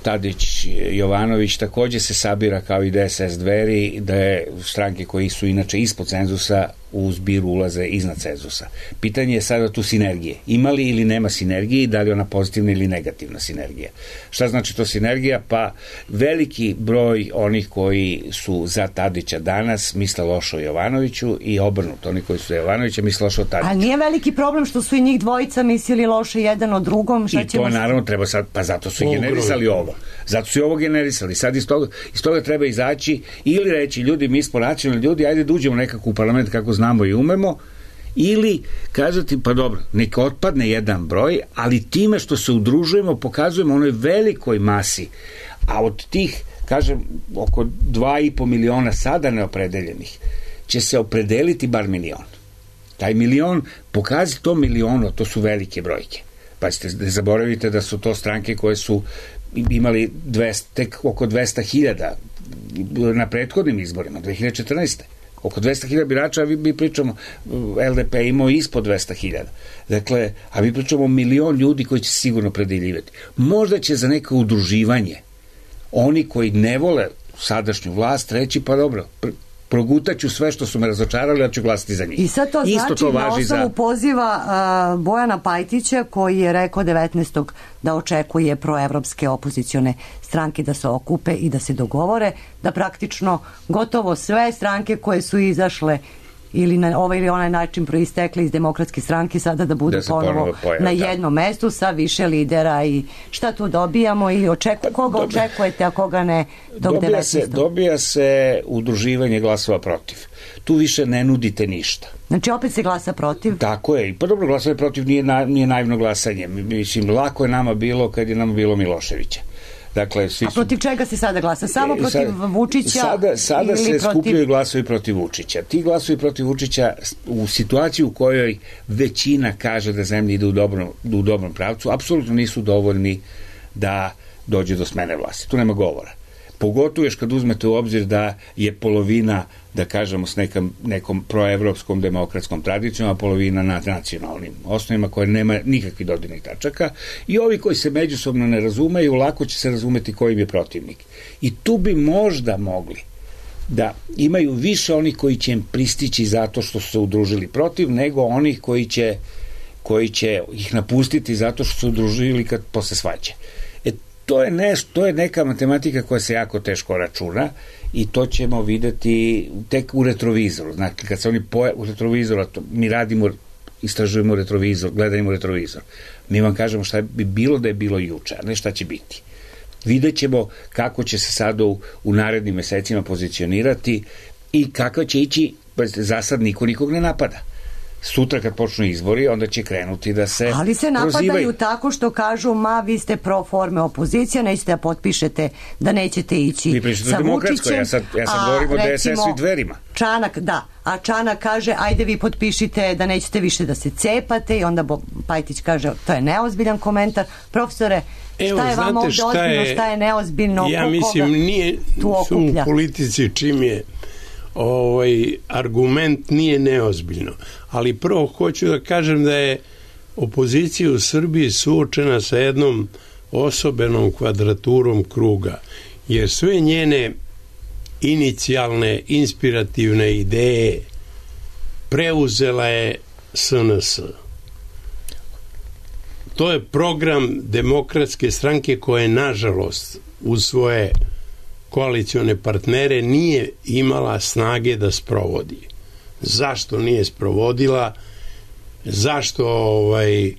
Tadić-Jovanović takođe se sabira kao i D S S Dveri, da je stranke koji su inače ispod cenzusa u zbiru ulaze iznad cenzusa. Pitanje je sada tu sinergije. Ima li ili nema sinergije i da li ona pozitivna ili negativna sinergija. Šta znači to sinergija? Pa veliki broj onih koji su za Tadića danas misle lošo o Jovanoviću i obrnuto. Oni koji su za Jovanovića misle lošo o Tadiću. A nije veliki problem što su i njih dvojica mislili loše jedan o drugom? Šta I to je naravno treba sad, pa zato su i generisali ovo. Zato su i ovo generisali. Sad iz toga, iz toga treba izaći ili reći ljudi, mi smo racionalni ljudi, ajde da uđemo nekako u parlament kako znamo i umemo, ili kažete pa dobro, neka otpadne jedan broj, ali time što se udružujemo pokazujemo onoj velikoj masi, a od tih, kažem, oko dva i po miliona sada neopredeljenih će se opredeliti bar milion. Taj milion, pokazi to miliono, to su velike brojke. Pa ste, ne zaboravite da su to stranke koje su imali dvesta, tek oko dvesta hiljada na prethodnim izborima, dve hiljade četrnaeste. Oko dvesta hiljada birača, a vi, mi pričamo, L D P imao ispod dvesta hiljada. Dakle, a mi pričamo milion ljudi koji će sigurno predeljivati. Možda će za neko udruživanje oni koji ne vole sadašnju vlast reći, pa dobro, pr progutaću sve što su me razočarali, ja ću glasiti za njih. I sad to Isto znači to na osnovu za... poziva uh, Bojana Pajtića, koji je rekao devetnaestog da očekuje proevropske opozicione stranke da se okupe i da se dogovore, da praktično gotovo sve stranke koje su izašle ili na ovaj ili onaj način proistekli iz demokratske stranke sada da budu da ponovo pojave, na jednom da. mestu sa više lidera i šta tu dobijamo ili očeku, koga Dobija. očekujete, a koga ne dok dobija se, dobija se udruživanje glasova protiv. tu više ne nudite ništa. Znači opet se glasa protiv? Tako je, i pa dobro, glasanje protiv nije, na, nije naivno glasanje. Mislim, lako je nama bilo kad je nama bilo Miloševića. Dakle, svi A protiv su... čega se sada glasa? Samo protiv sada, Vučića? Sada, sada ili se protiv... skupljaju glasovi protiv Vučića. Ti glasovi protiv Vučića u situaciji u kojoj većina kaže da zemlja ide u dobrom, u dobrom pravcu, apsolutno nisu dovoljni da dođe do smene vlasti. Tu nema govora. Pogotovo još kad uzmete u obzir da je polovina, da kažemo, s nekam, nekom proevropskom demokratskom tradicijom, a polovina na nacionalnim osnovima koje nema nikakvih dodirnih tačaka, i ovi koji se međusobno ne razumeju, lako će se razumeti koji im je protivnik. I tu bi možda mogli da imaju više onih koji će im pristići zato što su se udružili protiv, nego onih koji će, koji će ih napustiti zato što su se udružili kad posle svađe. To je, ne, to je neka matematika koja se jako teško računa i to ćemo videti tek u retrovizoru. Znači, kad se oni poje u retrovizoru, to mi radimo, istražujemo retrovizor, gledamo retrovizor. Mi vam kažemo šta bi bilo da je bilo juče, a ne šta će biti. Vidjet ćemo kako će se sada u, u narednim mesecima pozicionirati i kako će ići, za sad niko nikog ne napada. Sutra kad počnu izbori, onda će krenuti da se ali se napadaju prozivaju. Tako što kažu, ma vi ste pro forme opozicija, nećete da potpišete da nećete ići vi pričate sa demokratskoj, ja sad, ja sad govorim o D S S-u i Dverima. Čanak, da, a Čanak kaže, ajde vi potpišite da nećete više da se cepate, i onda Pajtić kaže, to je neozbiljan komentar. Profesore, Evo, šta je vama ovdje ozbiljno, je, šta je neozbiljno? Ja mislim, nije u politici čim je ovaj argument nije neozbiljno, ali prvo hoću da kažem da je opozicija u Srbiji suočena sa jednom osobenom kvadraturom kruga, jer sve njene inicijalne inspirativne ideje preuzela je S N S. To je program Demokratske stranke koja je, nažalost, uz svoje koalicione partnere nije imala snage da sprovodi. Zašto nije sprovodila? Zašto ovaj,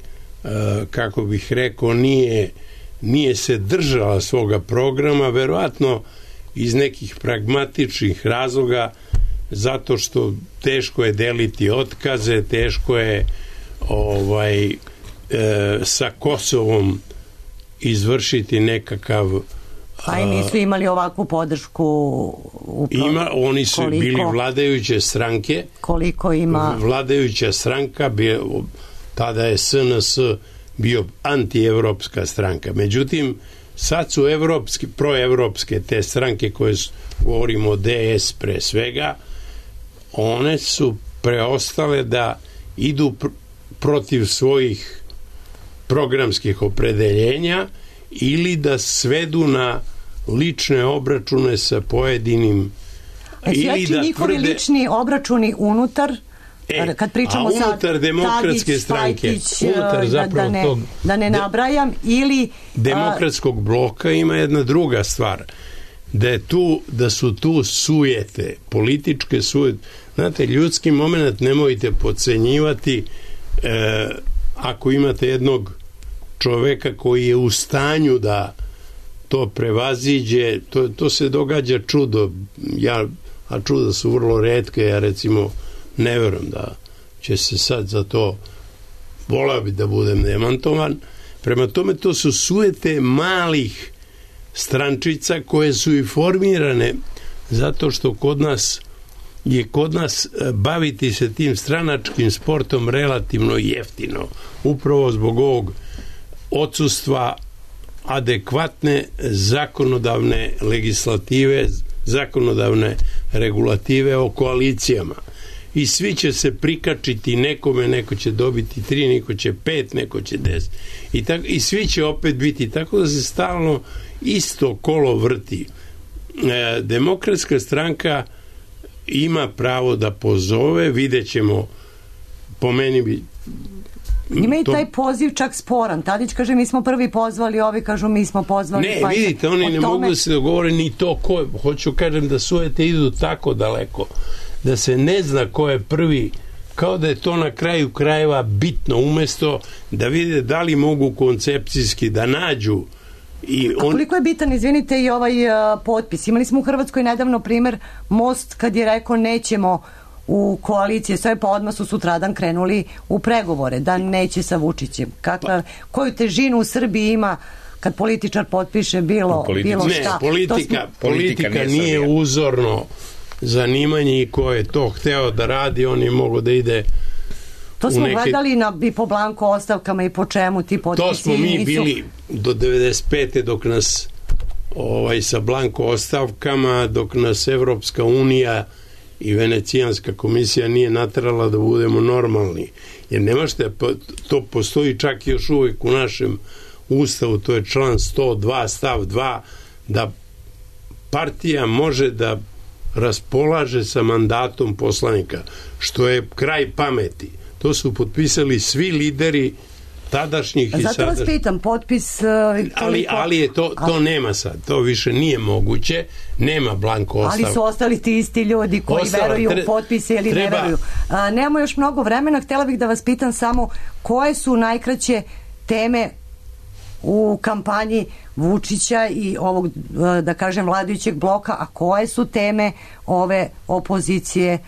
kako bih rekao, nije, nije se držala svoga programa? Verovatno iz nekih pragmatičnih razloga, zato što teško je deliti otkaze, teško je ovaj, e, sa Kosovom izvršiti nekakav. Pa i nisu imali ovakvu podršku u pro... Ima, oni su koliko, bili vladajuće stranke. Koliko ima? Vladajuća stranka, bio, tada je S N S bio antievropska stranka. Međutim, sad su evropski, proevropske te stranke koje su, govorimo o D S pre svega, one su preostale da idu pr protiv svojih programskih opredeljenja ili da svedu na lične obračune sa pojedinim e, ili da njihovi tvrde... lični obračuni unutar e, kad pričamo a unutar sad demokratske Tadić, stranke Pajtić, unutar zapravo da, ne, tog da ne nabrajam ili demokratskog bloka ima jedna druga stvar, da je tu, da su tu sujete, političke sujete. Znate, ljudski moment nemojte podcenjivati. E, ako imate jednog čoveka koji je u stanju da to prevaziđe, to, to se događa čudo, ja, a čuda su vrlo retke, ja recimo ne verujem da će se sad za to, volao bi da budem demantovan. Prema tome, to su sujete malih strančica koje su i formirane zato što kod nas je kod nas baviti se tim stranačkim sportom relativno jeftino, upravo zbog ovog odsustva adekvatne zakonodavne legislative, zakonodavne regulative o koalicijama. I svi će se prikačiti nekome, neko će dobiti tri, neko će pet, neko će deset. I, tako, i svi će opet biti, tako da se stalno isto kolo vrti. E, Demokratska stranka ima pravo da pozove, vidjet ćemo, po meni bi ima i taj poziv čak sporan. Tadić kaže mi smo prvi pozvali, ovi kažu mi smo pozvali. Ne, pa vidite, oni ne tome... mogu da se dogovore ni to ko je. Hoću kažem da sujete idu tako daleko da se ne zna ko je prvi, kao da je to na kraju krajeva bitno, umesto da vide da li mogu koncepcijski da nađu. I on... A koliko je bitan, izvinite, i ovaj uh, potpis? Imali smo u Hrvatskoj nedavno primer Most kad je rekao nećemo u koaliciji, sve pa odmah su sutradan krenuli u pregovore, da neće sa Vučićem. Kakva, koju težinu u Srbiji ima kad političar potpiše bilo, bilo šta? Ne, politika, smo... politika nije, nije uzorno zanimanje i ko je to hteo da radi, on je mogo da ide. To smo neke... gledali na, i po blanko ostavkama i po čemu ti potpisi. To smo mi nisu... bili do devedeset pete dok nas ovaj, sa blanko ostavkama, dok nas Evropska unija i Venecijanska komisija nije naterala da budemo normalni. Jer nemašte, to postoji čak još uvijek u našem Ustavu, to je član sto dva stav dva, da partija može da raspolaže sa mandatom poslanika, što je kraj pameti. To su potpisali svi lideri tadašnjih i sadašnjih. Zato vas pitam, potpis... Uh, ali, ali je to, to ali... nema sad, to više nije moguće, nema blanko ostav. Ali su ostali ti isti ljudi koji Ostala, veruju tre... u potpise ili treba... ne veruju. Uh, nemamo još mnogo vremena, htjela bih da vas pitam samo koje su najkraće teme u kampanji Vučića i ovog, da kažem, vladajućeg bloka, a koje su teme ove opozicije?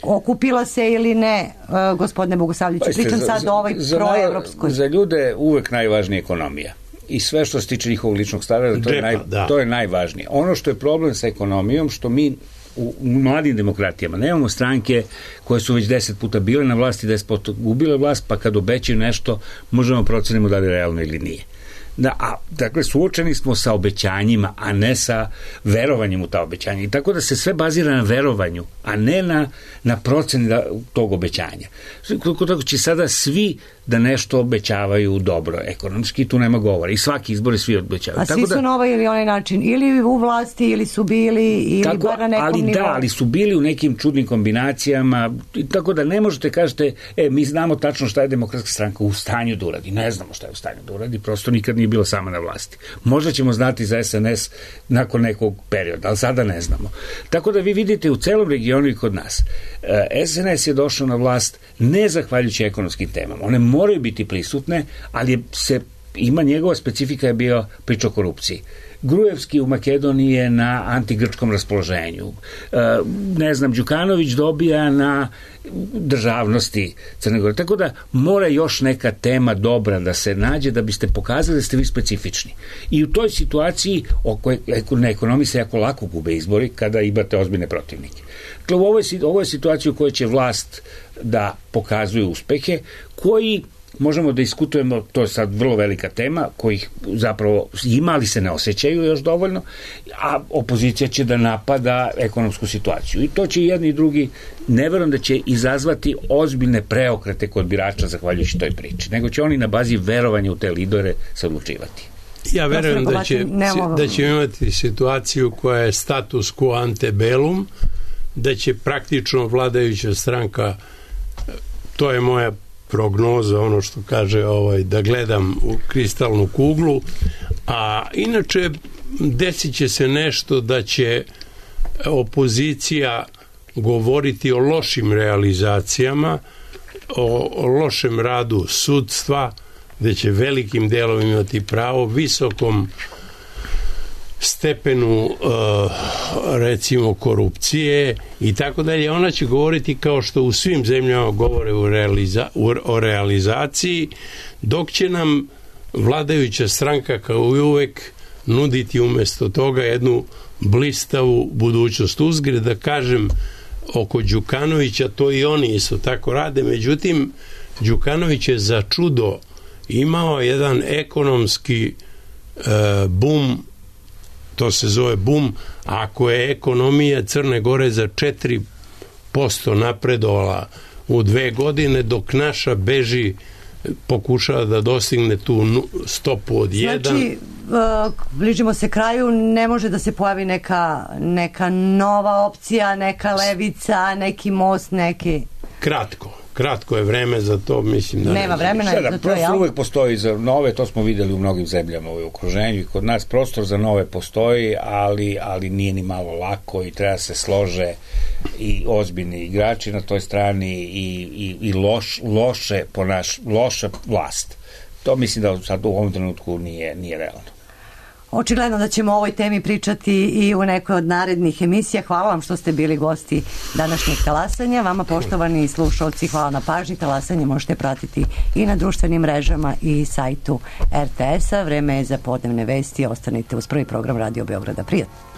Okupila se ili ne, gospodine Bogosavljeviću? Pričam sad za, o ovoj proevropskoj. Za ljude uvek najvažnija ekonomija. I sve što se tiče njihovog ličnog stava, to, naj, to je najvažnije. Ono što je problem sa ekonomijom, što mi u mladim demokratijama nemamo stranke koje su već deset puta bile na vlasti, deset puta gubile vlast, pa kad obećaju nešto možemo procenimo da li je realno ili nije. Da, a, dakle, suočeni smo sa obećanjima, a ne sa verovanjem u ta obećanja. I tako da se sve bazira na verovanju, a ne na, na proceni da, tog obećanja. Tako će sada svi da nešto obećavaju dobro ekonomski, tu nema govora. I svaki izbor svi obećavaju. A tako svi su da, na ovaj ili onaj način, ili u vlasti, ili su bili, ili tako, bar na nekom ali nivou. Da, ali su bili u nekim čudnim kombinacijama, tako da ne možete kažete, e, mi znamo tačno šta je Demokratska stranka u stanju da uradi. Ne znamo šta je u stanju da uradi, prosto nikad nije bilo sama na vlasti. Možda ćemo znati za S N S nakon nekog perioda, ali sada ne znamo. Tako da vi vidite u celom regionu i kod nas, S N S je došao na vlast ne zahvaljujući ekonomskim temama. One moraju biti prisutne, ali se ima njegova specifika je bio priča o korupciji. Grujevski u Makedoniji je na antigrčkom raspoloženju. E, ne znam, Đukanović dobija na državnosti Crne Gore. Tako da mora još neka tema dobra da se nađe da biste pokazali da ste vi specifični. I u toj situaciji oko, na ekonomiji se jako lako gube izbori kada imate ozbiljne protivnike. Dakle, u ovoj, ovoj situaciji u kojoj će vlast da pokazuje uspehe, koji možemo da diskutujemo, to je sad vrlo velika tema, kojih zapravo ima, ali se ne osjećaju još dovoljno, a opozicija će da napada ekonomsku situaciju. I to će i jedni i drugi, ne verujem da će izazvati ozbiljne preokrete kod birača zahvaljujući toj priči, nego će oni na bazi verovanja u te lidere se odlučivati. Ja verujem da će, da će imati situaciju koja je status quo ante bellum, da će praktično vladajuća stranka, to je moja prognoza, ono što kaže ovaj, da gledam u kristalnu kuglu, a inače desit će se nešto da će opozicija govoriti o lošim realizacijama, o, o lošem radu sudstva, gde će velikim delom imati pravo, visokom stepenu uh, recimo korupcije i tako dalje. Ona će govoriti kao što u svim zemljama govore u realiza, u, o realizaciji, dok će nam vladajuća stranka kao i uvek nuditi umjesto toga jednu blistavu budućnost. Uzgred da kažem oko Đukanovića, to i oni isto tako rade, međutim Đukanović je za čudo imao jedan ekonomski uh, boom, to se zove boom, ako je ekonomija Crne Gore za četiri posto napredovala u dve godine, dok naša beži, pokušava da dostigne tu stopu od jedan. Znači, uh, bližimo se kraju, ne može da se pojavi neka, neka nova opcija, neka levica, neki most, neki... Kratko. Kratko je vreme za to, mislim da... Nema vremena Sada, za to, ja? Uvijek postoji za nove, to smo videli u mnogim zemljama u okruženju i kod nas prostor za nove postoji, ali, ali nije ni malo lako i treba se slože i ozbiljni igrači na toj strani i, i, i loš, loše ponaš, loša vlast. To mislim da sad u ovom trenutku nije, nije realno. Očigledno da ćemo o ovoj temi pričati i u nekoj od narednih emisija. Hvala vam što ste bili gosti današnjeg talasanja. Vama, poštovani slušalci, hvala na pažnji. Talasanje možete pratiti i na društvenim mrežama i sajtu er te es a. Vreme je za podnevne vesti. Ostanite uz prvi program Radio Beograda. Prijatno.